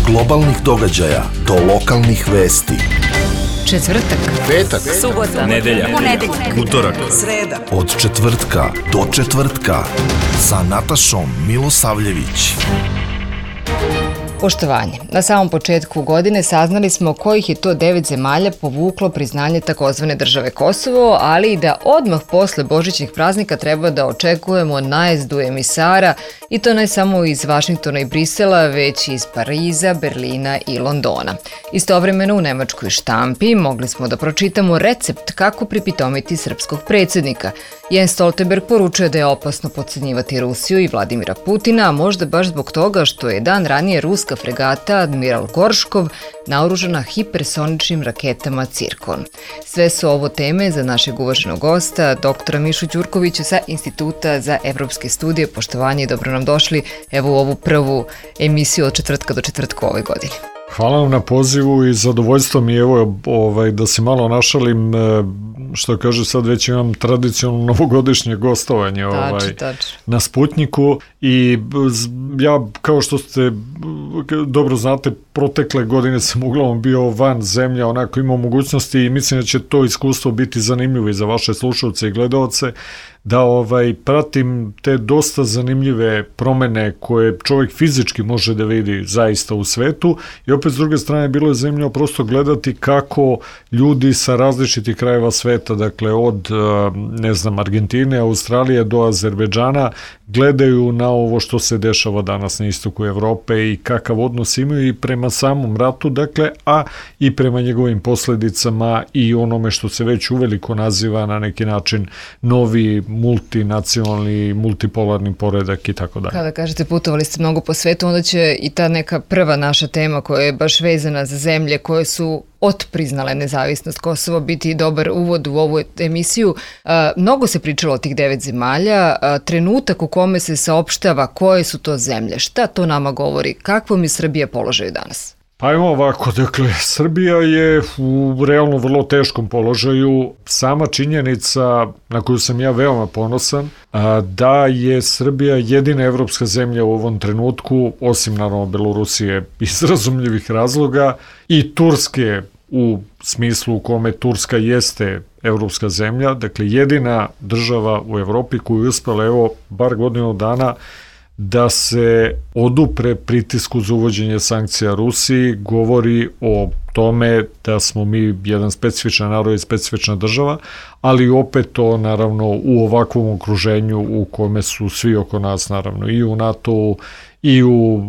globalnih događaja do lokalnih vesti. Četvrtak, petak, subota, nedelja, utorak, sreda. Od četvrtka do četvrtka sa Natašom Milosavljević. Poštovanje. Na samom početku godine saznali smo kojih je to 9 zemalja povuklo priznanje takozvane države Kosovo, ali i da odmah posle božićnih praznika treba da očekujemo najezdu emisara, i to ne samo iz Vašingtona i Brisela, već i iz Pariza, Berlina i Londona. Istovremeno u nemačkoj štampi mogli smo da pročitamo recept kako pripitomiti srpskog predsjednika. Jens Stoltenberg poručuje da je opasno potcenjivati Rusiju i Vladimira Putina, a možda baš zbog toga što je dan ranije ruska fregata Admiral Gorškov naoružana hipersoničnim raketama Cirkon. Sve su ovo teme za našeg uvaženog gosta, doktora Mišu Đurkovića sa Instituta za evropske studije. Poštovanje i dobro nam došli evo u ovu prvu emisiju od četvrtka do četvrtka ove godine. Hvala vam na pozivu i zadovoljstvo mi je da se malo našalim, što kaže sad već imam tradicionalno novogodišnje gostovanje na Sputniku i ja, kao što ste dobro znate, protekle godine sam uglavnom bio van zemlje, onako imao mogućnosti i mislim da će to iskustvo biti zanimljivo i za vaše slušalce i gledaoce, da pratim te dosta zanimljive promene koje čovjek fizički može da vidi zaista u svetu, i opet s druge strane bilo je zanimljivo prosto gledati kako ljudi sa različitih krajeva sveta, dakle od Argentine, Australije do Azerbejdžana, gledaju na ovo što se dešava danas na istoku Evrope i kakav odnos imaju i prema samom ratu, dakle, a i prema njegovim posljedicama i onome što se već uveliko naziva na neki način novi multinacionalni, multipolarni poredak i tako dalje. Kada kažete putovali ste mnogo po svetu, onda će i ta neka prva naša tema koja je baš vezana za zemlje koje su otpriznale nezavisnost Kosova biti dobar uvod u ovu emisiju. Mnogo se pričalo o tih 9 zemalja, trenutak u kome se saopštava koje su to zemlje, šta to nama govori, kakvom je Srbija položaju danas? Pa evo ovako, dakle, Srbija je u realno vrlo teškom položaju. Sama činjenica na koju sam ja veoma ponosan, da je Srbija jedina evropska zemlja u ovom trenutku, osim naravno Belorusije iz razumljivih razloga, i Turske u smislu u kome Turska jeste evropska zemlja, dakle jedina država u Evropi koju je uspela evo bar godinu dana da se odupre pritisku za uvođenje sankcija Rusiji, govori o tome da smo mi jedan specifičan narod i specifična država, ali opet to naravno u ovakvom okruženju u kome su svi oko nas, naravno i u NATO-u i u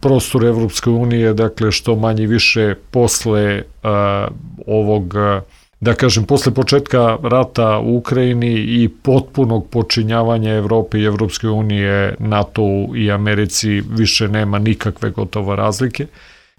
prostoru Evropske unije, dakle što manje više posle posle početka rata u Ukrajini i potpunog počinjavanja Evrope i Evropske unije, NATO-u i Americi više nema nikakve gotovo razlike.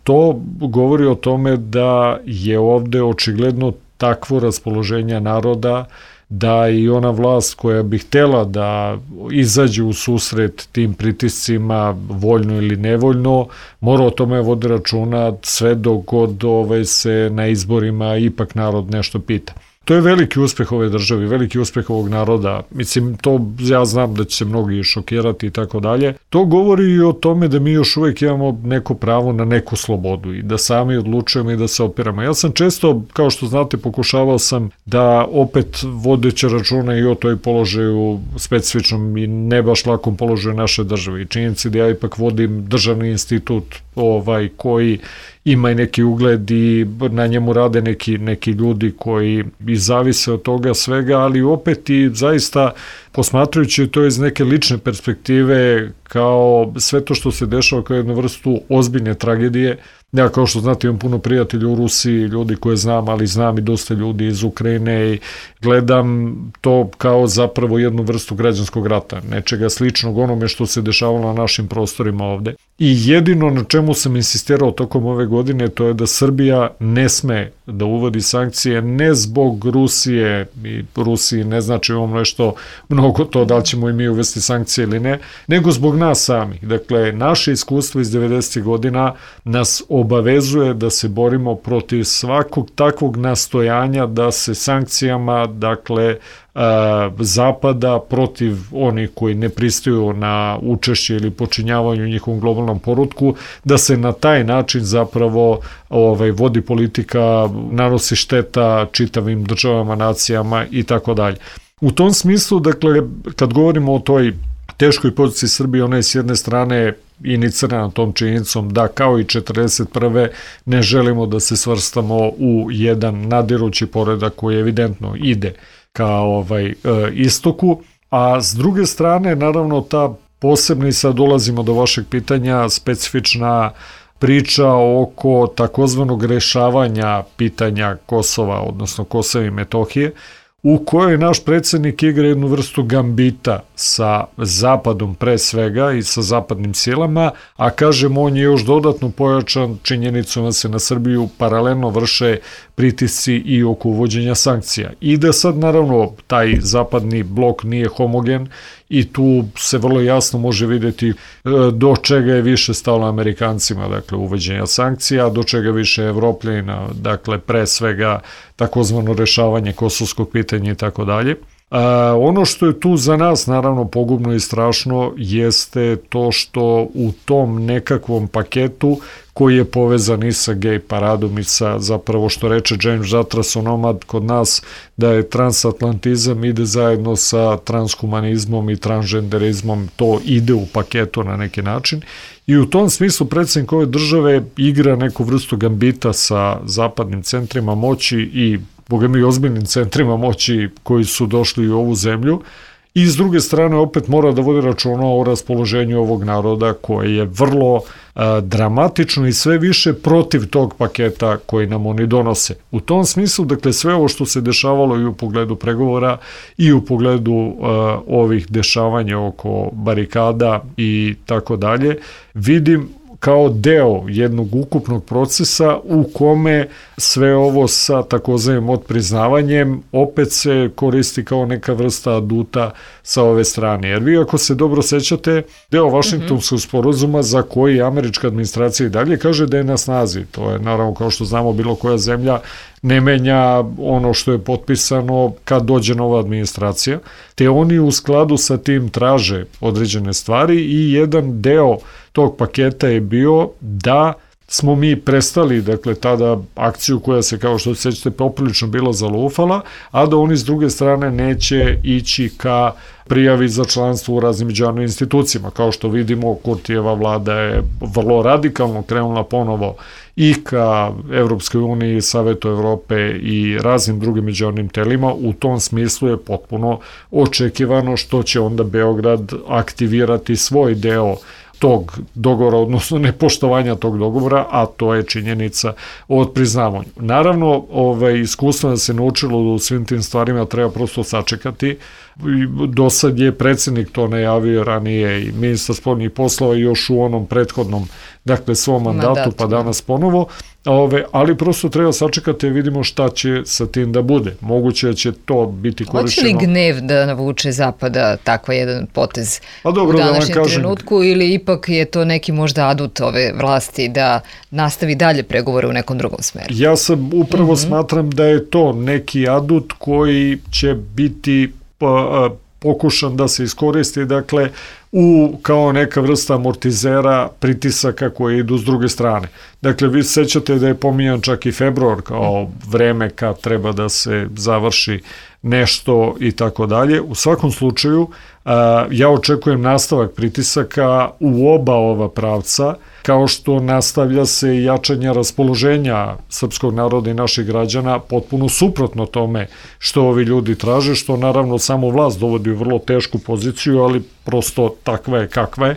To govori o tome da je ovde očigledno takvo raspoloženje naroda da i ona vlast koja bi htela da izađe u susret tim pritiscima, voljno ili nevoljno, mora o tome vodi računa sve dok god se na izborima ipak narod nešto pita. To je veliki uspeh ove države, veliki uspeh ovog naroda. Mislim, to ja znam da će se mnogi šokirati i tako dalje. To govori i o tome da mi još uvijek imamo neko pravo na neku slobodu i da sami odlučujemo i da se opiramo. Ja sam često, kao što znate, pokušavao sam da opet vodeći računa i o toj položaju specifičnom i ne baš lakom položaju naše države. I činjenici da ja ipak vodim državni institut koji ima i neki ugled i na njemu rade neki ljudi koji i zavise od toga svega, ali opet i zaista posmatrajući to iz neke lične perspektive kao sve to što se dešava kao jednu vrstu ozbiljne tragedije. Ja, kao što znate, imam puno prijatelja u Rusiji, ljudi koje znam, ali znam i dosta ljudi iz Ukrajine i gledam to kao zapravo jednu vrstu građanskog rata, nečega sličnog onome što se dešavalo na našim prostorima ovde. I jedino na čemu sam insistirao tokom ove godine, to je da Srbija ne sme da uvodi sankcije, ne zbog Rusije, i Rusiji ne znači imamo nešto mnogo oko to da li ćemo i mi uvesti sankcije ili ne, nego zbog nas samih. Dakle, naše iskustvo iz 90. godina nas obavezuje da se borimo protiv svakog takvog nastojanja da se sankcijama, dakle, Zapada protiv onih koji ne pristaju na učešće ili počinjavanju njihovom globalnom porutku, da se na taj način zapravo vodi politika, nanosi šteta čitavim državama, nacijama i tako dalje. U tom smislu, dakle, kad govorimo o toj teškoj poziciji Srbije, ona je s jedne strane inicirana tom činjenicom da kao i 41. ne želimo da se svrstamo u jedan nadirući poredak koji evidentno ide ka istoku, a s druge strane, naravno, ta posebna, i sad dolazimo do vašeg pitanja, specifična priča oko takozvanog rešavanja pitanja Kosova, odnosno Kosova i Metohije, u kojoj naš predsjednik igra jednu vrstu gambita sa Zapadom pre svega i sa zapadnim silama, a kažem, on je još dodatno pojačan činjenicom da se na Srbiju paralelno vrše pritisci i oko uvođenja sankcija. I da sad, naravno, taj zapadni blok nije homogen i tu se vrlo jasno može vidjeti do čega je više stalo Amerikancima, dakle, uvođenja sankcija, do čega više Evropljena, dakle, pre svega takozvano rešavanje kosovskog pitanja i tako dalje. Ono što je tu za nas naravno pogubno i strašno jeste to što u tom nekakvom paketu koji je povezan i sa gej paradom i sa, zapravo što reče James Zatras onomad kod nas, da je transatlantizam ide zajedno sa transhumanizmom i transgenderizmom, to ide u paketu na neki način. I u tom smislu predsjednik ove države igra neku vrstu gambita sa zapadnim centrima moći i bogami ozbiljnim centrima moći koji su došli u ovu zemlju, i s druge strane opet mora da vodi računa o raspoloženju ovog naroda koje je vrlo dramatično i sve više protiv tog paketa koji nam oni donose. U tom smislu, dakle, sve ovo što se dešavalo i u pogledu pregovora i u pogledu ovih dešavanja oko barikada i tako dalje, vidim kao deo jednog ukupnog procesa u kome sve ovo sa takozvanim odpriznavanjem opet se koristi kao neka vrsta aduta sa ove strane. Jer vi, ako se dobro sećate, deo Vašingtonskog sporazuma za koji američka administracija i dalje kaže da je na snazi. To je, naravno, kao što znamo, bilo koja zemlja ne menja ono što je potpisano kad dođe nova administracija, te oni u skladu sa tim traže određene stvari i jedan deo tog paketa je bio da smo mi prestali, dakle, tada akciju koja se, kao što se sećate, poprilično bila zalufala, a da oni s druge strane neće ići ka prijavi za članstvo u raznim međunarodnim institucijama. Kao što vidimo, Kurtijeva vlada je vrlo radikalno krenula ponovo i ka Evropskoj uniji, Savetu Evrope i raznim drugim međunarodnim telima. U tom smislu je potpuno očekivano što će onda Beograd aktivirati svoj deo tog dogovora, odnosno nepoštovanja tog dogovora, a to je činjenica o odpriznavanju. Naravno, iskustvo da se naučilo u svim tim stvarima treba prosto sačekati. Do sad je predsjednik to najavio ranije i ministar spoljnih poslova još u onom prethodnom, dakle, svom mandatu, pa danas ponovo, ali prosto treba sačekati i vidimo šta će sa tim da bude. Moguće će to biti korišćeno. Hoće li gnev da navuče Zapada takva jedan potez u današnjem trenutku, ili ipak je to neki možda adut ove vlasti da nastavi dalje pregovore u nekom drugom smeru? Ja sam upravo smatram da je to neki adut koji će biti pokušan da se iskoristi, dakle, kao neka vrsta amortizera pritisaka koje idu s druge strane. Dakle, vi sećate da je pominjan čak i februar kao vreme kad treba da se završi nešto i tako dalje. U svakom slučaju, ja očekujem nastavak pritisaka u oba ova pravca, kao što nastavlja se jačanje raspoloženja srpskog naroda i naših građana potpuno suprotno tome što ovi ljudi traže, što naravno samo vlast dovodi u vrlo tešku poziciju, ali prosto takva je kakva je.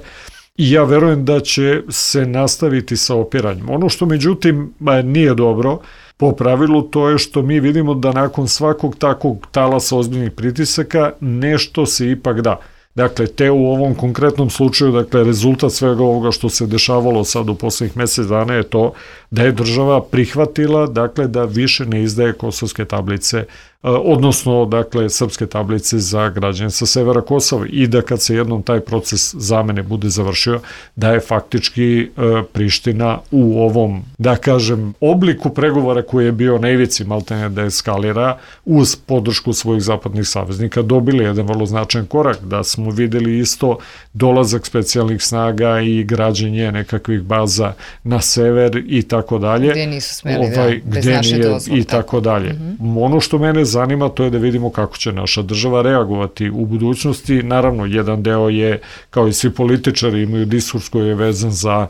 I ja verujem da će se nastaviti sa opiranjem. Ono što međutim nije dobro po pravilu, to je što mi vidimo da nakon svakog takvog talasa ozbiljnih pritisaka nešto se ipak da. Dakle, te u ovom konkretnom slučaju, dakle, rezultat svega ovoga što se dešavalo sad u poslednjih mesec dana je to da je država prihvatila, dakle, da više ne izdaje kosovske tablice odnosno, dakle, srpske tablice za građane sa severa Kosova i da kad se jednom taj proces zamene bude završio, da je faktički Priština u ovom, da kažem, obliku pregovora koji je bio na ivici maltene da eskalira uz podršku svojih zapadnih saveznika dobili jedan vrlo značajan korak, da smo videli isto dolazak specijalnih snaga i građenje nekakvih baza na sever i tako dalje. Gde nisu smeli, bez naše dozvole. I tako dalje. Ono što mene zanima to je da vidimo kako će naša država reagovati u budućnosti. Naravno, jedan deo je, kao i svi političari, imaju diskurs koji je vezan za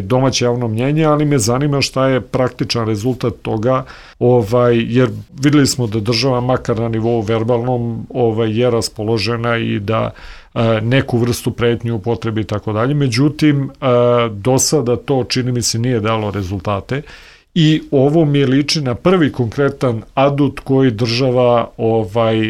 domaće javno mnjenje, ali me zanima šta je praktičan rezultat toga, jer videli smo da država makar na nivou verbalnom je raspoložena i da neku vrstu pretnju upotrebi i tako dalje. Međutim, do sada to, čini mi se, nije dalo rezultate i ovo mi liči na prvi konkretan adut koji država,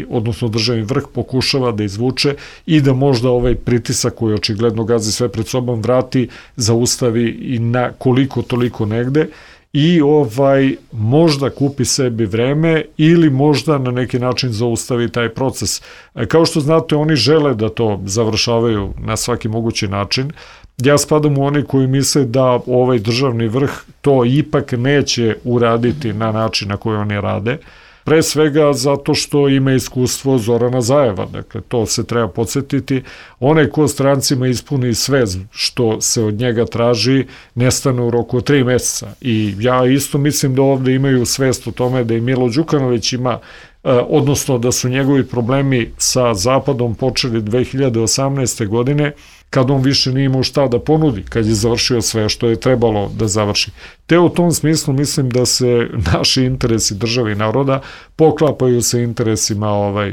odnosno državni vrh pokušava da izvuče i da možda ovaj pritisak koji očigledno gazi sve pred sobom vrati, zaustavi i na koliko toliko negde i možda kupi sebi vreme ili možda na neki način zaustavi taj proces. Kao što znate, oni žele da to završavaju na svaki mogući način. Ja spadam u oni koji misle da ovaj državni vrh to ipak neće uraditi na način na koji oni rade. Pre svega zato što ima iskustvo Zorana Zajeva, dakle to se treba podsjetiti. Onaj ko strancima ispuni sve što se od njega traži, nestane u roku od 3 meseca. I ja isto mislim da ovde imaju svest o tome da i Milo Đukanović ima, odnosno da su njegovi problemi sa Zapadom počeli 2018. godine, kad on više nije imao šta da ponudi, kad je završio sve što je trebalo da završi. Te u tom smislu mislim da se naši interesi države i naroda poklapaju sa interesima,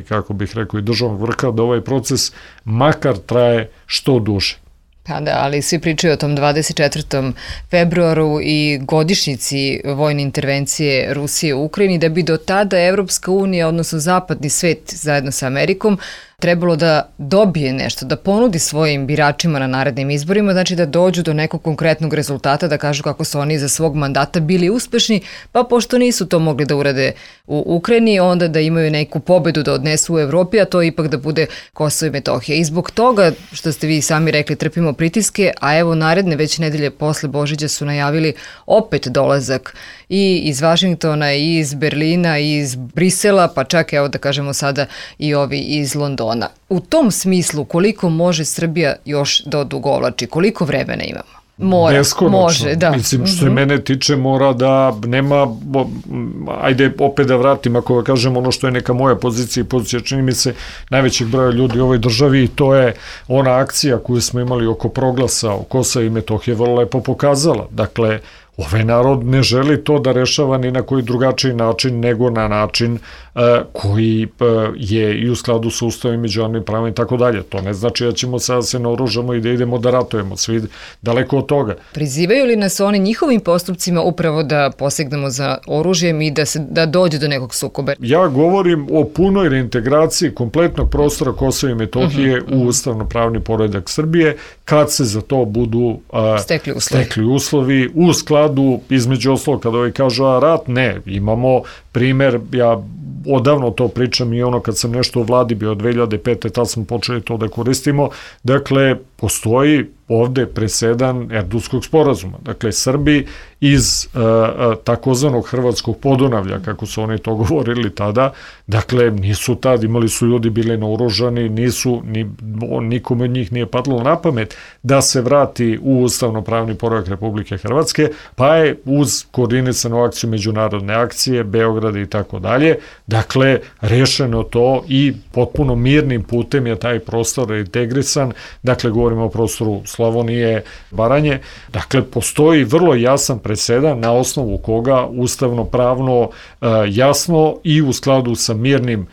kako bih rekao, i državnog vrha, da ovaj proces makar traje što duže. Pa da, ali svi pričaju o tom 24. februaru i godišnjici vojne intervencije Rusije u Ukrajini, da bi do tada Evropska unija, odnosno zapadni svet zajedno sa Amerikom, trebalo da dobije nešto, da ponudi svojim biračima na narednim izborima, znači da dođu do nekog konkretnog rezultata, da kažu kako su oni za svog mandata bili uspešni, pa pošto nisu to mogli da urade u Ukrajini, onda da imaju neku pobedu da odnesu u Evropi, a to ipak da bude Kosovo i Metohija. I zbog toga, što ste vi sami rekli, trpimo pritiske, a evo naredne već nedelje posle Božića su najavili opet dolazak i iz Vašingtona, i iz Berlina, i iz Brisela, pa čak evo da kažemo sada i ovi iz Londona. U tom smislu, koliko može Srbija još da odugovlači, koliko vremena imamo? Mora, beskonačno. Može, da. Mislim, što je mene tiče, mora da nema, ajde opet da vratim, ako kažem ono što je neka moja pozicija i pozicija, čini mi se, najvećeg broja ljudi u ovoj državi, i to je ona akcija koju smo imali oko proglasa o Kosova i Metohije vrlo lepo pokazala. Dakle, ovaj narod ne želi to da rešava ni na koji drugačiji način nego na način koji je i u skladu sa ustavom i međunarodnim pravom i tako dalje. To ne znači da ćemo sada se naoružamo i da idemo da ratujemo, svi daleko od toga. Prizivaju li nas oni njihovim postupcima upravo da posegnemo za oružjem i da dođe do nekog sukoba? Ja govorim o punoj reintegraciji kompletnog prostora Kosova i Metohije u ustavno-pravni poredak Srbije, kad se za to budu stekli uslovi u skladu, između ostalog, kada ovaj kažu rat, ne, imamo primer, ja odavno to pričam i ono kad sam nešto u vladi bio od 2005. tad smo počeli to da koristimo, dakle, postoji ovde presedan Erdutskog sporazuma. Dakle, Srbi iz takozvanog Hrvatskog Podunavlja, kako su oni to govorili tada, dakle, nisu tad, imali su ljudi bili naoružani, nikome od njih nije padlo na pamet da se vrati u ustavno-pravni poredak Republike Hrvatske, pa je uz koordinisanu akciju međunarodne akcije, Beograda i tako dalje, dakle, rešeno to i potpuno mirnim putem je taj prostor integrisan, dakle, govorimo o prostoru Slavonije, Baranje, dakle, postoji vrlo jasan presedan na osnovu koga ustavno-pravno jasno i u skladu sa mirnim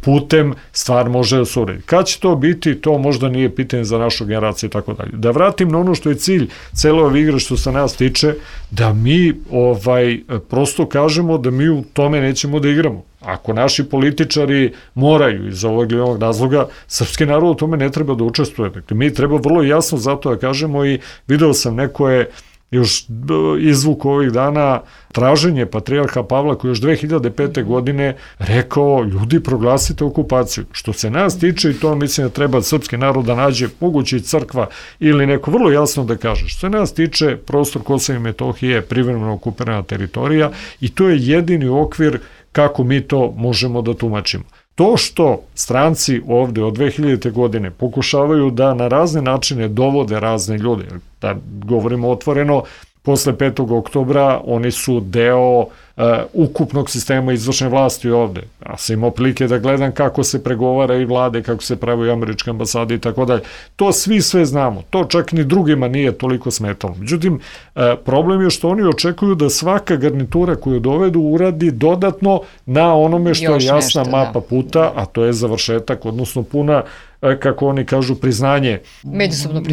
putem stvar može da se uredi. Kad će to biti, to možda nije pitanje za našu generaciju i tako dalje. Da vratim na ono što je cilj cele ove igre što se nas tiče, da mi prosto kažemo da mi u tome nećemo da igramo. Ako naši političari moraju iz ovog ili onog razloga, srpski narod u tome ne treba da učestvuje. Dakle, mi treba vrlo jasno zato da kažemo i video sam neko je još izvuk ovih dana traženje patrijarha Pavla koji još 2005. godine rekao, ljudi, proglasite okupaciju. Što se nas tiče, i to mislim da treba srpski narod da nađe, moguće i crkva ili neko vrlo jasno da kaže, što se nas tiče, prostor Kosova i Metohije je privremeno okupirana teritorija i to je jedini okvir kako mi to možemo da tumačimo. To što stranci ovde od 2000. godine pokušavaju da na razne načine dovode razne ljude, da govorimo otvoreno, posle 5. oktobra oni su deo ukupnog sistema izvršne vlasti ovde. Ja sam imao prilike da gledam kako se pregovara i vlade, kako se pravi američke ambasade i tako dalje. To svi sve znamo. To čak ni drugima nije toliko smetalo. Međutim, problem je što oni očekuju da svaka garnitura koju dovedu uradi dodatno na onome što je jasna mapa puta, a to je završetak, odnosno puna, kako oni kažu, priznanje,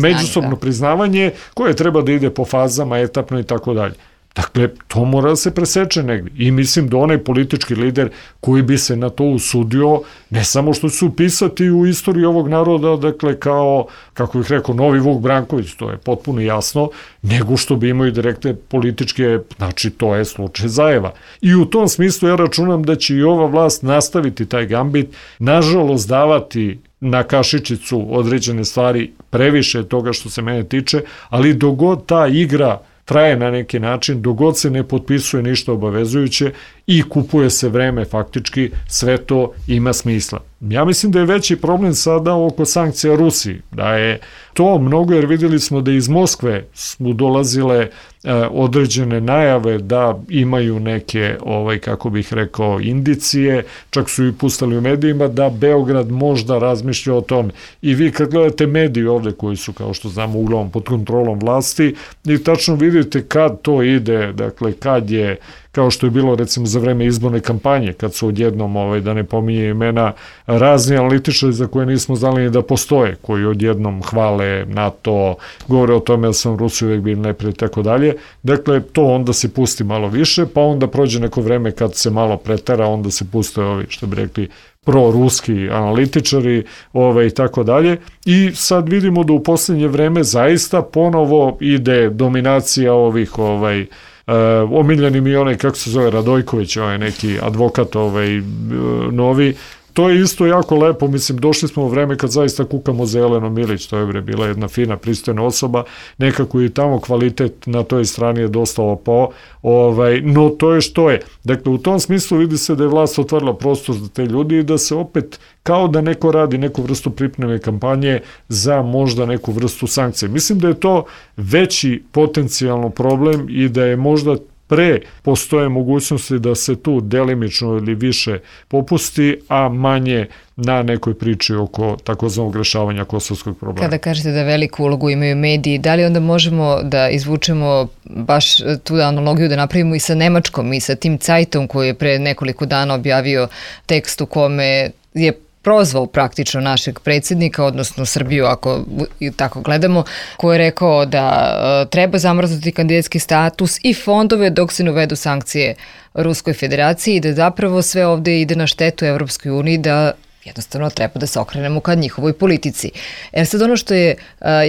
međusobno priznavanje koje treba da ide po fazama, etapno i tako dalje. Dakle, to mora da se preseče negdje. I mislim da onaj politički lider koji bi se na to usudio, ne samo što su upisati u istoriju ovog naroda, dakle, kao, kako bih rekao, novi Vuk Branković, to je potpuno jasno, nego što bi imao i direktne političke, znači to je slučaj Zajeva. I u tom smislu ja računam da će i ova vlast nastaviti taj gambit, nažalost davati na kašičicu određene stvari, previše toga što se mene tiče, ali dogod ta igra traje na neki način, dogod se ne potpisuje ništa obavezujuće i kupuje se vreme, faktički sve to ima smisla. Ja mislim da je veći problem sada oko sankcija Rusiji, da je to mnogo, jer vidjeli smo da iz Moskve su dolazile određene najave da imaju neke, kako bih rekao, indicije, čak su i pustali u medijima da Beograd možda razmišlja o tome. I vi kad gledate mediji ovde koji su, kao što znamo, uglavnom pod kontrolom vlasti, i tačno vidite kad to ide, dakle kad je, kao što je bilo recimo za vreme izborne kampanje, kad su odjednom, da ne pominje imena, razni analitičari za koje nismo znali ni da postoje, koji odjednom hvale NATO, govore o tome da sam Rusiju uvek bili neprijatelj i tako dalje. Dakle, to onda se pusti malo više, pa onda prođe neko vreme kad se malo pretera, onda se puste ovi, što bi rekli, proruski analitičari i tako dalje. I sad vidimo da u poslednje vreme zaista ponovo ide dominacija ovih omiljeni mi onaj, kako se zove, Radojković, neki advokat novi. To je isto jako lepo, mislim, došli smo u vreme kad zaista kukamo za Jelenu Milić, to je bila jedna fina, pristojna osoba, nekako i tamo kvalitet na toj strani je dosta opao, no to je što je. Dakle, u tom smislu vidi se da je vlast otvorila prostor za te ljudi i da se opet, kao da neko radi neku vrstu pripreme kampanje za možda neku vrstu sankcije. Mislim da je to veći potencijalno problem i da je možda pre postoje mogućnosti da se tu delimično ili više popusti, a manje na nekoj priči oko takozvanog rešavanja kosovskog problema. Kada kažete da veliku ulogu imaju mediji, da li onda možemo da izvučemo baš tu analogiju da napravimo i sa Nemačkom i sa tim Zeitom koji je pre nekoliko dana objavio tekst u kome je prozvao praktično našeg predsjednika, odnosno Srbiju, ako tako gledamo, koji je rekao da treba zamrznuti kandidatski status i fondove dok se ne uvedu sankcije Ruskoj federaciji i da zapravo sve ovde ide na štetu Evropskoj uniji, da jednostavno treba da se okrenemo ka njihovoj politici. Sad ono što je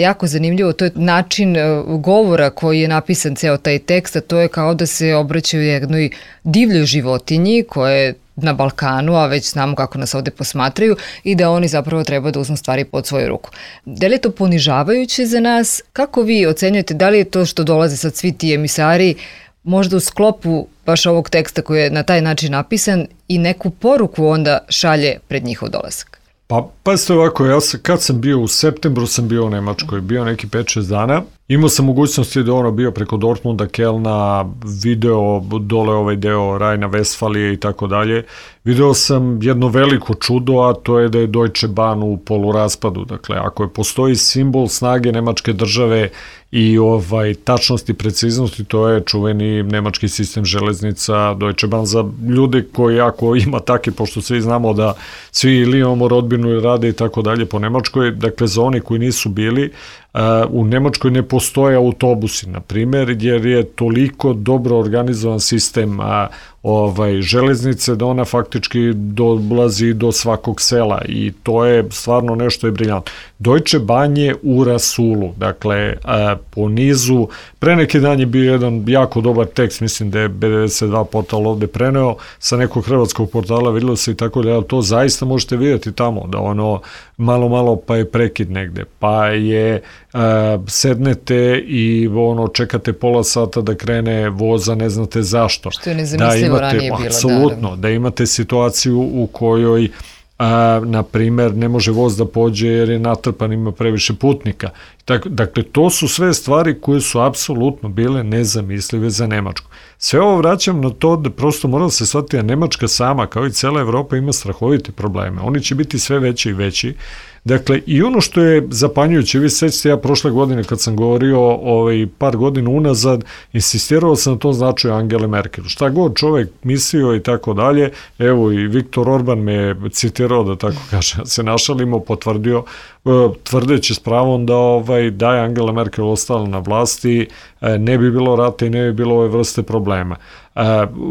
jako zanimljivo, to je način govora koji je napisan ceo taj tekst, a to je kao da se obraćaju jednoj divljoj životinji koja je na Balkanu, a već znamo kako nas ovde posmatraju i da oni zapravo treba da uzmu stvari pod svoju ruku. Da li je to ponižavajuće za nas? Kako vi ocenjujete, da li je to što dolaze sad svi ti emisari možda u sklopu baš ovog teksta koji je na taj način napisan i neku poruku onda šalje pred njihov dolazak? Pa ste ovako, kad sam bio u septembru, sam bio u Nemačkoj, bio neki 5-6 dana. Imao sam mogućnosti da bio preko Dortmunda, Kelna, video dole ovaj deo Rajna, Vestfalije i tako dalje. Video sam jedno veliko čudo, a to je da je Deutsche Bahn u poluraspadu. Dakle, ako postoji simbol snage nemačke države i tačnosti i preciznosti, to je čuveni nemački sistem železnica Deutsche Bahn. Za ljude koji ako ima taki, pošto svi znamo da svi ili imamo rodbinu ili rade i tako dalje po Nemačkoj, dakle za oni koji nisu bili, U Nemačkoj ne postoje autobusi, na primjer, jer je toliko dobro organizovan sistem železnice da ona faktički dolazi do svakog sela i to je stvarno nešto je briljantno. Deutsche Bahn je u rasulu, dakle po nizu, pre neki dan je bio jedan jako dobar tekst, mislim da je B92 portal ovde preneo sa nekog hrvatskog portala, vidjelo se i tako da to zaista možete vidjeti tamo, da ono malo pa je prekid negde, pa je sednete i čekate pola sata da krene voza, ne znate zašto. Što je nezamislivo ranije bilo. Apsolutno, da imate situaciju u kojoj na primer ne može voz da pođe jer je natrpan, ima previše putnika. Dakle, to su sve stvari koje su apsolutno bile nezamislive za Nemačku. Sve ovo vraćam na to da prosto mora da se shvati da Nemačka sama, kao i cela Evropa, ima strahovite probleme. Oni će biti sve veći i veći. Dakle, i ono što je zapanjujuće, vi sećate, ja prošle godine kad sam govorio par godina unazad, insistirao sam na tom značaju Angele Merkel. Šta god čovek mislio i tako dalje, evo i Viktor Orban me citirao, da tako kaže, se našalimo, potvrdio, tvrdeći s pravom da je Angela Merkel ostala na vlasti, ne bi bilo rata i ne bi bilo ove vrste problema.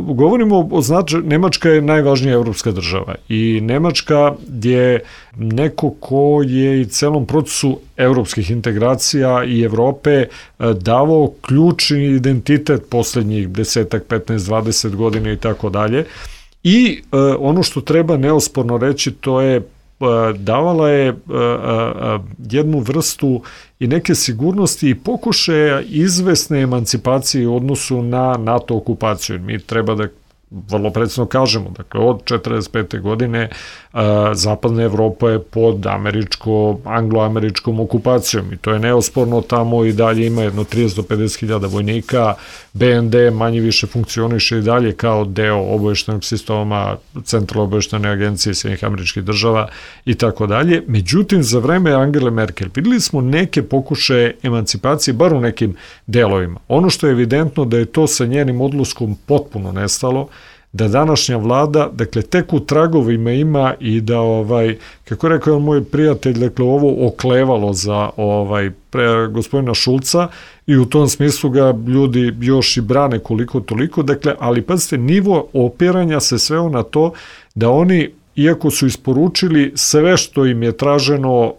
Govorimo o značaju, Nemačka je najvažnija evropska država i Nemačka je neko ko je i celom procesu evropskih integracija i Evrope davao ključni identitet poslednjih 10, 15, 20 godina i tako dalje. I ono što treba neosporno reći, to je davala je jednu vrstu i neke sigurnosti i pokušaja izvesne emancipacije u odnosu na NATO okupaciju. Mi treba da vrlo precizno kažemo, dakle od 1945. godine zapadna Evropa je pod anglo-američkom okupacijom i to je neosporno, tamo i dalje ima jedno 30 do 50 hiljada vojnika, BND manje više funkcioniše i dalje kao deo obaveštajnog sistema Centralne obaveštajne agencije Sjedinjenih Američkih Država i tako dalje. Međutim, za vreme Angele Merkel videli smo neke pokušaje emancipacije, bar u nekim delovima. Ono što je evidentno da je to sa njenim odluskom potpuno nestalo, da današnja vlada, dakle, tek u tragovima ima i da, kako rekao moj prijatelj, dakle, ovo oklevalo za gospodina Šulca i u tom smislu ga ljudi još i brane koliko toliko, dakle, ali pazite, nivo opiranja se sveo na to da oni, iako su isporučili sve što im je traženo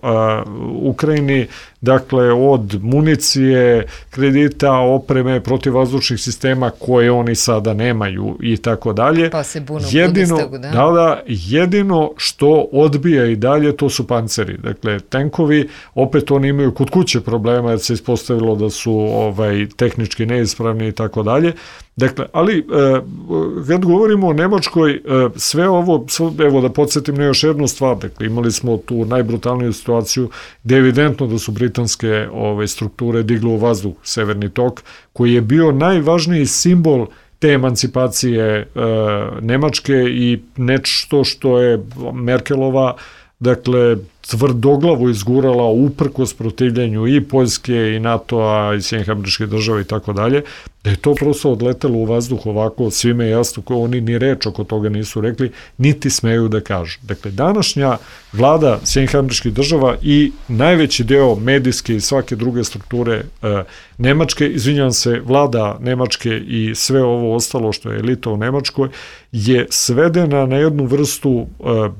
Ukrajini, dakle od municije, kredita, opreme, protivvazdušnih sistema koje oni sada nemaju i tako dalje. Pa se bunu u Bundestagu, da? Da, jedino što odbija i dalje to su panceri. Dakle, tenkovi, opet oni imaju kod kuće problema jer se ispostavilo da su tehnički neispravni i tako dalje. Dakle, ali kad govorimo o Nemačkoj, sve ovo, evo da podsjetim na još jednu stvar, dakle, imali smo tu najbrutalniju situaciju gde je evidentno da su britanske strukture digle u vazduh Severni tok, koji je bio najvažniji simbol te emancipacije Nemačke i nešto što je Merkelova, dakle, tvrdoglavo izgurala uprkos protivljenju i Poljske i NATO-a i Sjedinjenih Američkih Država i tako dalje, da je to prosto odletelo u vazduh ovako, svime je jasno, ko oni ni reč oko toga nisu rekli, niti smeju da kažu. Dakle, današnja vlada Sjedinjenih Američkih Država i najveći deo medijske i svake druge strukture Nemačke, izvinjavam se, vlada Nemačke i sve ovo ostalo što je elita u Nemačkoj, je svedena na jednu vrstu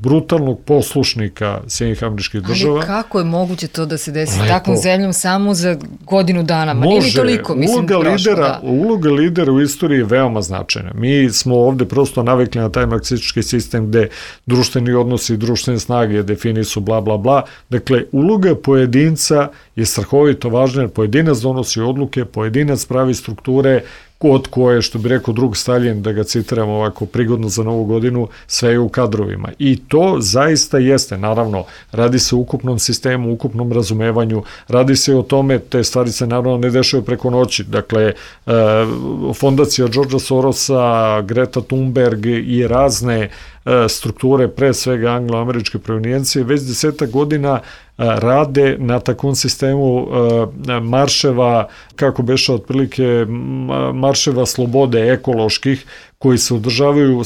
brutalnog poslušnika Sjedinjenih Američkih Država. Ali kako je moguće to da se desi takvom zemljom samo za godinu dana? Ma nije ni toliko, mislim, prošlo, da. Uloga lidera u istoriji je veoma značajna. Mi smo ovde prosto navikli na taj marksistički sistem gde društveni odnosi i društvene snage definisu bla bla bla. Dakle, uloga pojedinca je strahovito važna jer pojedinac donosi odluke, pojedinac pravi strukture od koje, što bi rekao drug Stalin, da ga citiram ovako prigodno za Novu godinu, sve je u kadrovima. I to zaista jeste, naravno, radi se o ukupnom sistemu, ukupnom razumevanju, radi se o tome, te stvari se naravno ne dešaju preko noći. Dakle, fondacija Georgea Sorosa, Greta Thunberg i razne strukture, pre svega anglo-američke provenijencije, već 10 godina rade na takvom sistemu marševa, kako beše otprilike, marševa slobode ekoloških, koji se održavaju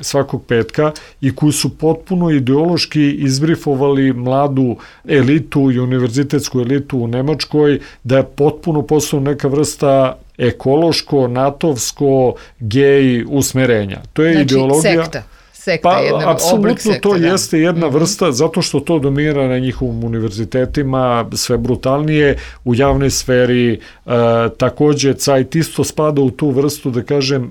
svakog petka i koji su potpuno ideološki izbrifovali mladu elitu i univerzitetsku elitu u Nemačkoj da je potpuno postala neka vrsta ekološko, natovsko, gej usmerenja. To je ideologija. Sekta, apsolutno to jeste jedna vrsta, zato što to dominira na njihovim univerzitetima, sve brutalnije u javnoj sferi. Takođe, Cajt isto spada u tu vrstu, da kažem,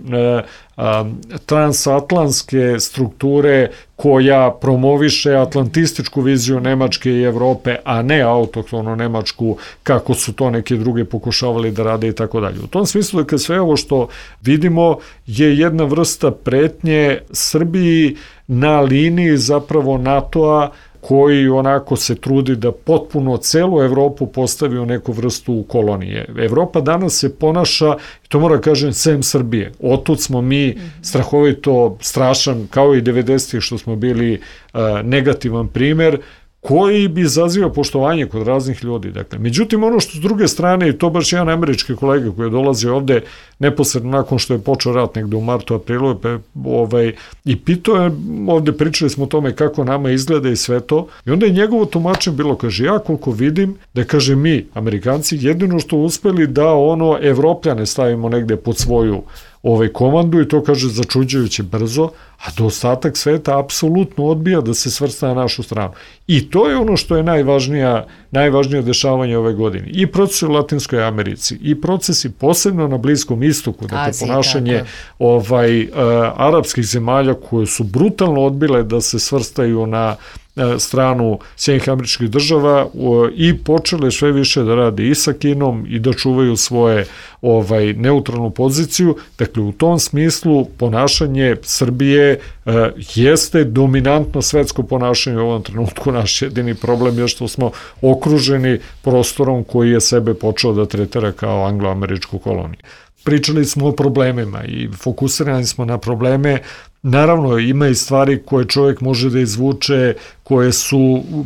transatlantske strukture koja promoviše atlantističku viziju Nemačke i Evrope, a ne autohtono Nemačku, kako su to neke druge pokušavali da rade i tako dalje. U tom smislu, dakle, sve ovo što vidimo je jedna vrsta pretnje Srbiji na liniji zapravo NATO-a, koji onako se trudi da potpuno celu Evropu postavi u neku vrstu kolonije. Evropa danas se ponaša, to moram kažem, sem Srbije. Otud smo mi strahovito strašan, kao i 90-ih što smo bili negativan primer, koji bi izazivao poštovanje kod raznih ljudi. Dakle, međutim, ono što s druge strane, i to baš jedan američki kolega koji je dolazio ovde neposredno nakon što je počeo rat negde u martu, aprilu, i pitao je, ovde pričali smo o tome kako nama izgleda i sve to, i onda je njegovo tumačenje bilo, kaže, ja koliko vidim, da kaže mi, Amerikanci, jedino što uspeli da Evropljane stavimo negde pod svoju komandu, i to, kaže, začuđujuće brzo, a da ostatak sveta apsolutno odbija da se svrsta na našu stranu. I to je ono što je najvažnije dešavanje ove godine. I procesi u Latinskoj Americi, i procesi posebno na Bliskom istoku, dakle ponašanje arapskih zemalja koje su brutalno odbile da se svrstaju na stranu Sjedinjenih Američkih Država i počele sve više da rade i sa Kinom i da čuvaju svoje neutralnu poziciju. Dakle, u tom smislu ponašanje Srbije jeste dominantno svetsko ponašanje u ovom trenutku. Naš jedini problem je što smo okruženi prostorom koji je sebe počeo da tretira kao anglo-američku koloniju. Pričali smo o problemima i fokusirani smo na probleme. Naravno, ima i stvari koje čovjek može da izvuče, koje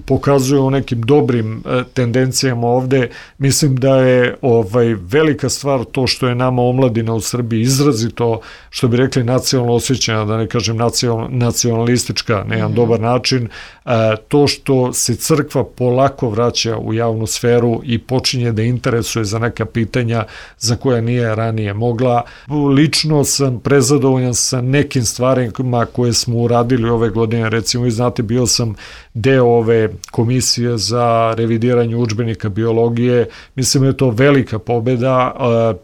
pokazuju o nekim dobrim tendencijama ovde. Mislim da je velika stvar to što je nama omladina u Srbiji izrazito, što bi rekli, nacionalno osjećanja, da ne kažem nacionalistička na jedan dobar način, to što se crkva polako vraća u javnu sferu i počinje da interesuje za neka pitanja za koja nije ranije mogla. Lično sam prezadovoljan sa nekim stvarima koje smo uradili ove godine. Recimo, vi znate, bio sam deo ove komisije za revidiranje udžbenika biologije. Mislim da je to velika pobeda.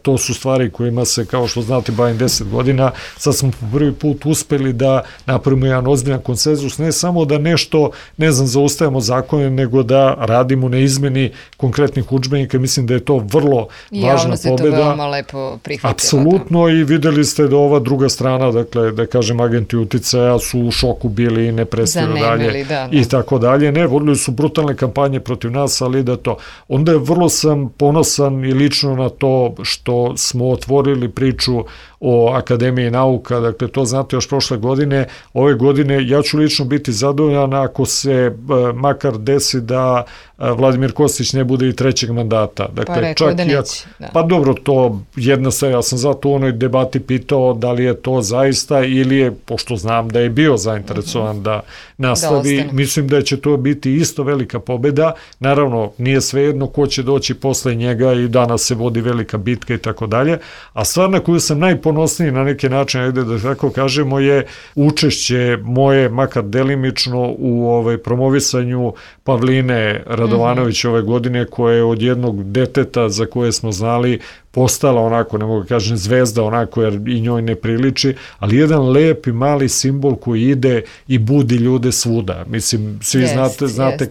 To su stvari kojima se, kao što znate, bavim 10 godina. Sad smo po prvi put uspeli da napravimo jedan ozbiljan konsenzus, ne samo da nešto, zaustavimo zakone, nego da radimo na izmeni konkretnih udžbenika. Mislim da je to vrlo važna pobeda. To veoma lepo prihvatila. Apsolutno, i videli ste da ova druga strana, dakle, da kažem, agenti uticaja su u šoku bili i ne prestaju dalje i tako dalje. Ne, vodili su brutalne kampanje protiv nas, ali da to. Onda je vrlo sam ponosan i lično na to što smo otvorili priču o Akademiji nauka, dakle to znate još prošle godine. Ove godine ja ću lično biti zadovoljan ako se makar desi da Vladimir Kostić ne bude i trećeg mandata. Dakle, pa rekao da neće. Pa dobro, to jedna stvar, ja sam zato u onoj debati pitao da li je to zaista ili je, pošto znam da je bio zainteresovan da nastavi, mislim da će to biti isto velika pobeda. Naravno, nije svejedno ko će doći posle njega i danas se vodi velika bitka i tako dalje, a stvar na koju sam najponosniji na neki način, ajde da tako kažemo, je učešće moje, makar delimično, u promovisanju Pavline Radovanović ove godine, koja je od jednog deteta za koje smo znali postala onako, ne mogu kažem zvezda onako, jer i njoj ne priliči, ali jedan lep i mali simbol koji ide i budi ljude svuda. Mislim, svi znate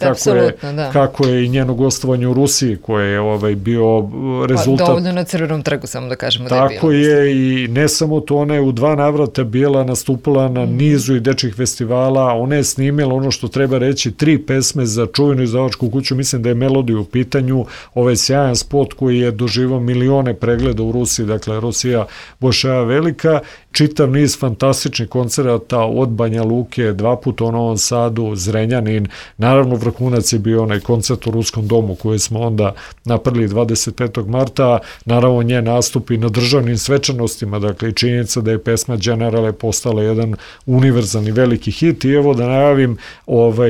kako je i njeno gostovanje u Rusiji, koje je bio rezultat. Dovoljno na Crvenom trgu, samo da kažemo da je bilo. Tako je, i ne samo to, ona je u 2 navrata bila nastupala na nizu i dečjih festivala, ona je snimila ono što treba reći 3 pesme za čuvenu izdavačku kuću, mislim da je Melodija u pitanju, ovaj sjajan spot koji je doživao milione pregleda u Rusiji, dakle Rusija Bošaja Velika, čitav niz fantastičnih koncerata od Banja Luke, 2 puta u Novom Sadu, Zrenjanin, naravno vrhunac je bio onaj koncert u Ruskom domu koji smo onda napravili 25. marta, naravno nje nastupi na državnim svečanostima, dakle i činjenica da je pesma Generale postala jedan univerzalni veliki hit i evo da najavim,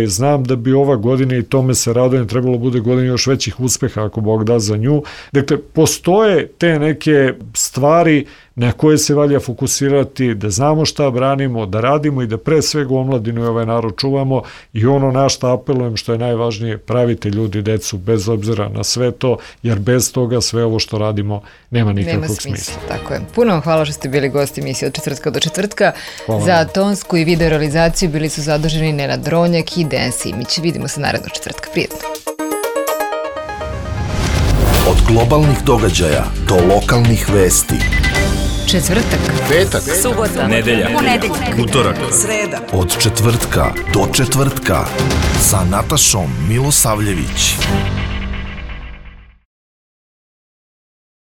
znam da bi ova godina i tome se radujem, trebalo bude godina još većih uspeha ako Bog da za nju. Dakle, postoje te neke stvari na koje se valja fokusirati, da znamo šta branimo, da radimo i da pre svega omladinu i ovaj narod čuvamo i ono na šta apelujem što je najvažnije, pravite ljudi decu bez obzira na sve to, jer bez toga sve ovo što radimo nema nikakvog smisla. Tako je. Puno vam hvala što ste bili gosti emisije od četvrtka do četvrtka. Hvala. Za tonsku i video realizaciju bili su zaduženi Nenad Dronjak i Dejan Simić. Vidimo se narednog četvrtka. Prijetno. Od globalnih događaja do lokalnih vesti. Četvrtak, Petak, subota, nedelja, ponedeljak, utorak, sreda. Od četvrtka do četvrtka sa Natašom Milosavljević.